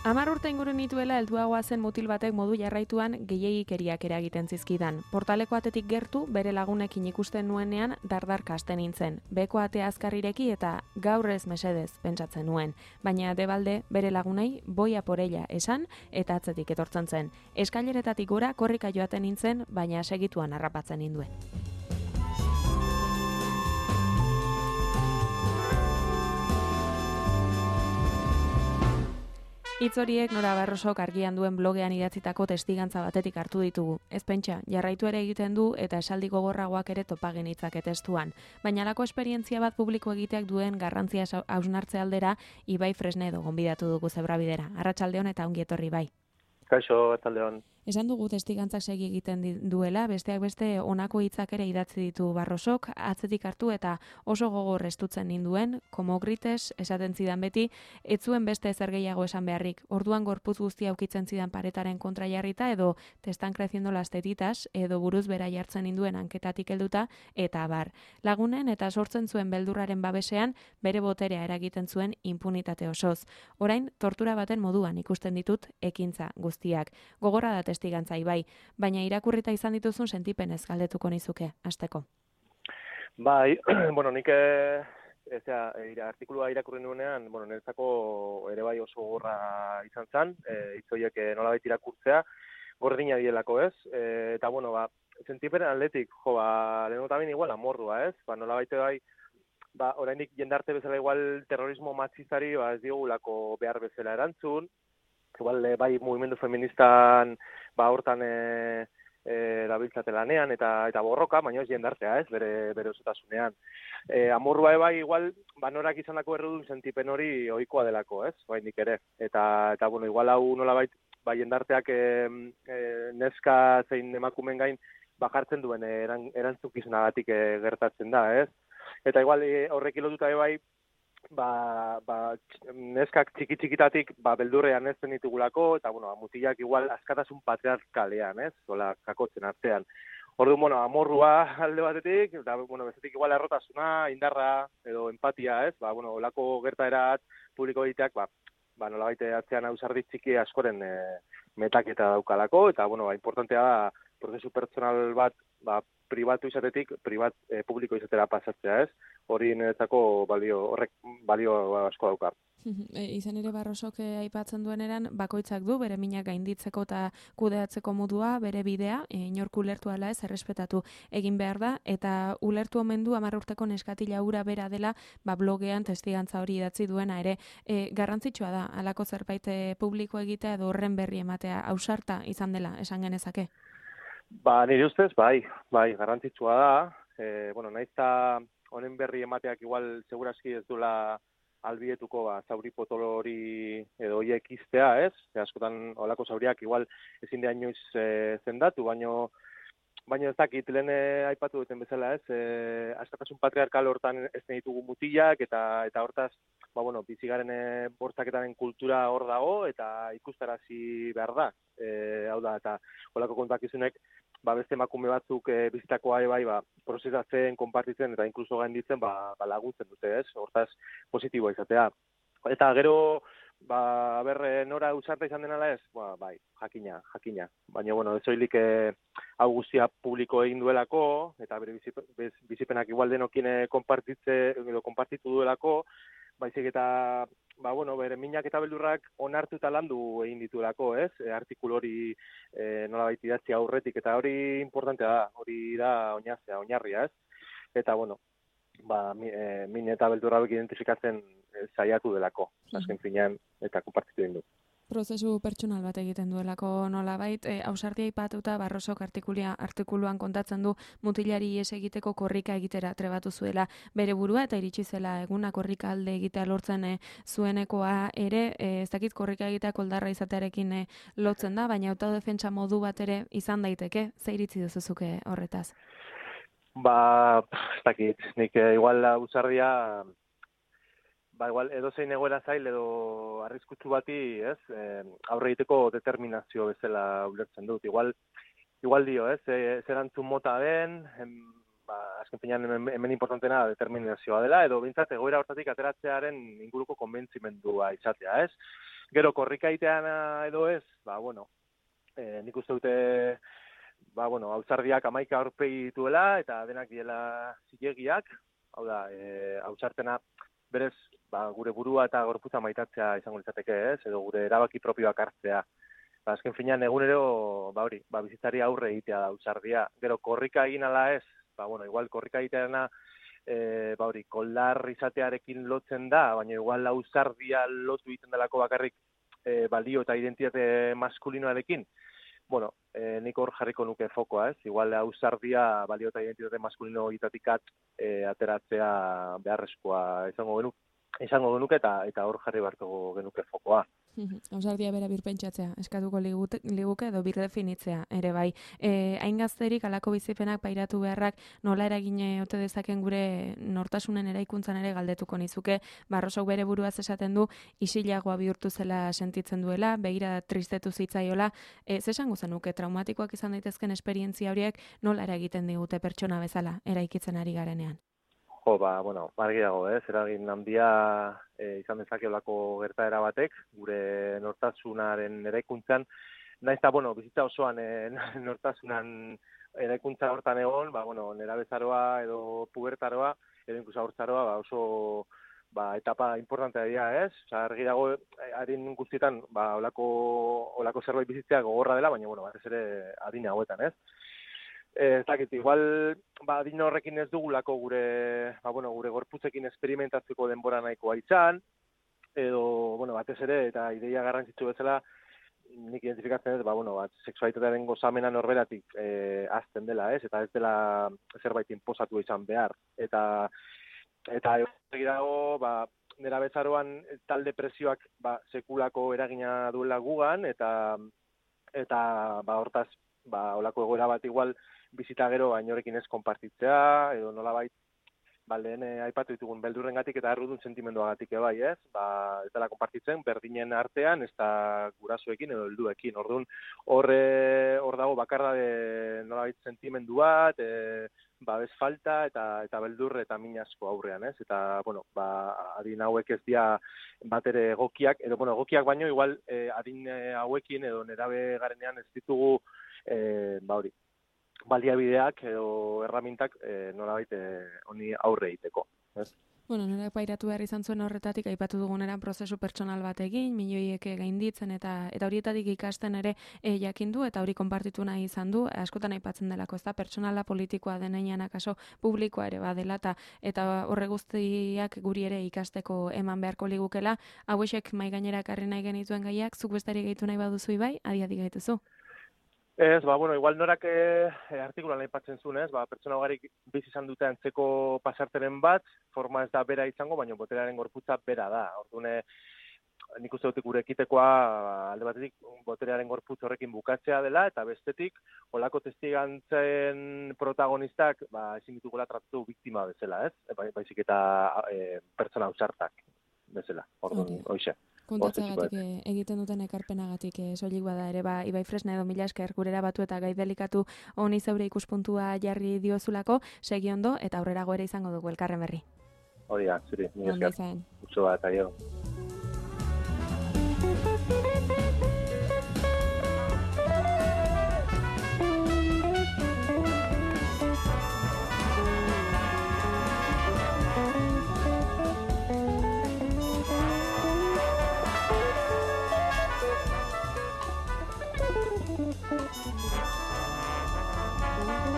10 urte inguru nituela helduagoa zen mutil batek modu jarraituan gehiegikeriak eragiten zizkidan. Portaleko atetik gertu, bere lagunekin ikusten nuenean dardarka hasten nintzen. Beko atea azkarrireki eta gaur ez mesedez pentsatzen nuen. Baina debalde bere lagunei boia porella esan eta atzetik etortzen zen. Eskaileretatik gora korrika joaten nintzen, baina segituan harrapatzen ninduen. Hitz horiek Nora Barrosok argian duen blogean idatzitako testigantza batetik hartu ditugu. Ez pentsa, jarraitu ere egiten du eta esaldi gogorragoak ere topa genitzake testuan. Baina halako esperientzia bat publiko egiteak duen garrantzia hausnartze aldera Ibai Fresnedo gonbidatu dugu Zebrabidera. Arratsaldeon eta ongi etorri Bai. Kaixo, arratsaldeon. Esan dugu testigantzak segi egiten duela, besteak beste honako hitzak ere idatzi ditu Barrosok, atzetik hartu eta oso gogor estutzen ninduen, como grites, esaten zidan beti, ez zuen beste ezer gehiago esan beharrik. Orduan gorputz guztia ukitzen zidan paretaren kontra jarrita edo testan creciendo las tetitas edo buruz bera jartzen ninduen hanketatik helduta eta abar. Lagunen eta sortzen zuen beldurraren babesean bere boterea eragiten zuen impunitate osoz. Orain tortura baten moduan ikusten ditut ekintza guztiak. Gogorra da testigantza Ibai, baina irakurrita izan dituzun sentipenez galdetuko nizuke, hasteko. Bai, nik artikulua irakurri nuenean, niretzako ere bai oso gogorra izan zen, hitz horiek nolabait irakurtzea, gordina dielako, ez? Eta, sentipenen atletik, lehenengo tamin igual amorrua, ez? Nolabait bai, oraindik jendarte bezala igual terrorismo matxistari ez diogulako behar bezala erantzun, igual bai mugimendu feministan hortan erabiltzate lanean eta borroka, baina ez jendartea, ez, bere osotasunean. Amorrua bai igual norak izandako errudun sentipen hori ohikoa delako, ez, oraindik ere. Eta igual hau nolabait jendarteak neska zein emakumeen gain jartzen duen erantzukizunagatik gertatzen da, ez? Eta igual horrekin lotuta bai neskak txiki-txikitatik beldurrean ez ditugulako, eta mutilak igual askatasun patriarkalean, ez? Zola, kakotzen artean. Orduan, amorrua alde batetik, eta bezetik igual errotasuna, indarra, edo empatia, ez? Olako gertaerat publiko egiteak, nolabait atzean ausardi txiki askoren metaketa daukalako, eta, importantea da, prozesu pertsonal bat, pribatu izatetik, publiko izatera pasatzea, ez? Hori niretzako horrek balio asko dauka. Izan ere Barrosok aipatzen dueneran, bakoitzak du bere minak gainditzeko eta kudeatzeko modua, bere bidea, inork ulertu ala ez, errespetatu egin behar da, eta ulertu omen du 10 urteko neskatila hura bera dela, blogean testigantza hori idatzi duena ere. Garrantzitsua da, halako zerbait publiko egitea edo horren berri ematea, ausarta izan dela, esan genezake? Nire ustez, bai, garrantzitsua da. Nahiz eta honen berri emateak igual seguraski ez duela albietuko zauri potolo hori edo horiek iztea, ez? Askotan olako zauriak igual ezin da inoiz zendatu, baina ez dakit, lehen aipatu duten bezala, ez? Askatasun patriarkal hortan ez ditugu mutilak eta hortaz, bizigaren bortzaketaren kultura hor dago eta ikustarazi behar da. Hau da, eta olako kontakizunek beste emakume batzuk bizitakoa bai, prozesatzen, konpartitzen eta inkluso gainditzen laguntzen dute, ez? Hortaz positiboa izatea. Eta gero, nora ausarta izan denala ez? Bai, jakina. Baina, ez soilik hau guztia publiko egin duelako, eta bere bizipenak igual denokien konpartitu duelako, baizik eta bere minak eta beldurrak onartu eta landu egin dituelako, ez? Artikulu hori nolabait idatzi aurretik, eta hori importantea da, hori da oinarria, ez? Eta, min eta beldurra hauek identifikatzen saiatu delako, azken finean, eta konpartitu egin du. Prozesu pertsonal bat egiten duelako nolabait, ausardia aipatuta Barrosok artikuluan kontatzen du mutilari ihes egiteko korrika egitera trebatu zuela bere burua eta iritsi zela eguna korrika alde egitea lortzen zuenekoa ere, ez dakit korrika egitea koldarra izatearekin lotzen da, baina autodefentsa modu bat ere izan daiteke, ze iritzi duzuzuke horretaz? Ez dakit, nik igual ausardia igual edozein egoera zail edo arriskutsu bati, ez, aurre egiteko determinazio bezala ulertzen dut. Igual dio, ez, erantzun mota den, azken finean hemen importantena determinazioa dela, edo bintzat egoera hortatik ateratzearen inguruko konbentzimendua izatea, ez? Gero korrikaitean edo ez, bueno, nik uste dute, hausardiak 11 aurpegi dituela, eta denak diela zilegiak, hau da, hausartena berez, gure burua eta gorputza maitatzea izango litzateke, ez? Edo gure erabaki propioak hartzea. Azken finean egunero, bizitzari aurre egitea da hausardia. Gero korrika egin ala ez, igual korrika egitearena, koldar izatearekin lotzen da, baina igual hausardia lotu egiten delako bakarrik balio eta identitate maskulinoarekin. Nik hor jarriko nuke fokoa, ez? Igual hausardia balio eta identitate maskulino egitatikat ateratzea beharrezkoa izango genuke eta hor jarri beharko genuke fokoa. Ausardia bera birpentsatzea, eskatuko liguke edo birdefinitzea, ere bai. Hain gazterik alako bizipenak pairatu beharrak nola eragine ote dezaken gure nortasunen eraikuntzan ere galdetuko nizuke. Barrosok bere buruaz esaten du, isilagoa bihurtu zela sentitzen duela, begira tristetu zitzaiola. Zesango zenuke, traumatikoak izan daitezken esperientzia horiek nola eragiten digute pertsona bezala eraikitzen ari garenean? Argi dago, eragin handia izan dezakeolako gertaera batek, gure nortasunaren eraikuntzan, naiz eta, bizitza osoan nortasunan eraikuntza hortan egon, nerabezaroa edo pubertaroa, edo inkluso haurtzaroa, oso etapa importantea dira, ez? Argi dago, adin guztietan, olako zerbait bizitzea gogorra dela, baina, batez ere adin hauetan, ez? Ez dakit, igual, adin horrekin ez dugulako gure gorputzekin esperimentatzeko denbora nahikoa izan, edo, batez ere, eta ideia garrantzitsu bezala, nik identifikatzen ez, sexualitatearen gozamena norberatik azten dela, ez? Eta ez dela zerbait inposatu izan behar. Eta egin dago, nera bezaroan talde presioak sekulako eragina duela gugan, eta hortaz, olako egoera bat igual bizita gero inorekin ez konpartitzea, edo nolabait, lehen aipatu ditugun beldurrengatik eta errudun sentimenduagatik bai, ez? Ez dela konpartitzen berdinen artean, ez da gurasoekin edo helduekin. Orduan, hor dago bakarra nolabait sentimendu bat, babes falta eta beldur eta min asko aurrean, ez? Eta, adin hauek ez dira bat ere egokiak, edo, egokiak baino, igual, adin hauekin edo nerabe garenean ez ditugu, baliabideak edo erramintak nolabait honi aurre egiteko. Nola pairatu behar izan zuen horretatik, aipatu duguneran prozesu pertsonal bat egin, milioiek gainditzen eta horietatik ikasten ere jakin du, eta hori konpartitu nahi izan du, askotan aipatzen delako, ez da, pertsonala politikoa denean akaso publikoa ere badela, eta horre guztiak guri ere ikasteko eman beharko ligukela, hauexek mai gainera karri nahi genituen gaiak, zuk bestari gehitu nahi baduzu ibai, adi gaituzu. Ez, igual norak artikulan aipatzen zuen, ez, pertsona ugarik bizi izan dute antzeko pasarteren bat, forma ez da bera izango, baina boterearen gorputza bera da. Orduan, nik uste dut gure ekitekoa alde batetik boterearen gorputz horrekin bukatzea dela, eta bestetik, olako testigantzen protagonistak, ezin ditugula tratatu biktima bezala, ez? Baizik eta pertsona ausartak bezala. Orduan, hoxe. Kontatzagatik egiten duten ekarpenagatik soilik bada ere, Ibai Fresna edo mila esker gurera batu eta gai delikatu honi zeure ikuspuntua jarri diozulako, segi ondo eta aurrerago ere izango dugu elkarren berri. Hori da, zuri, mila esker. Utsu bat, aio.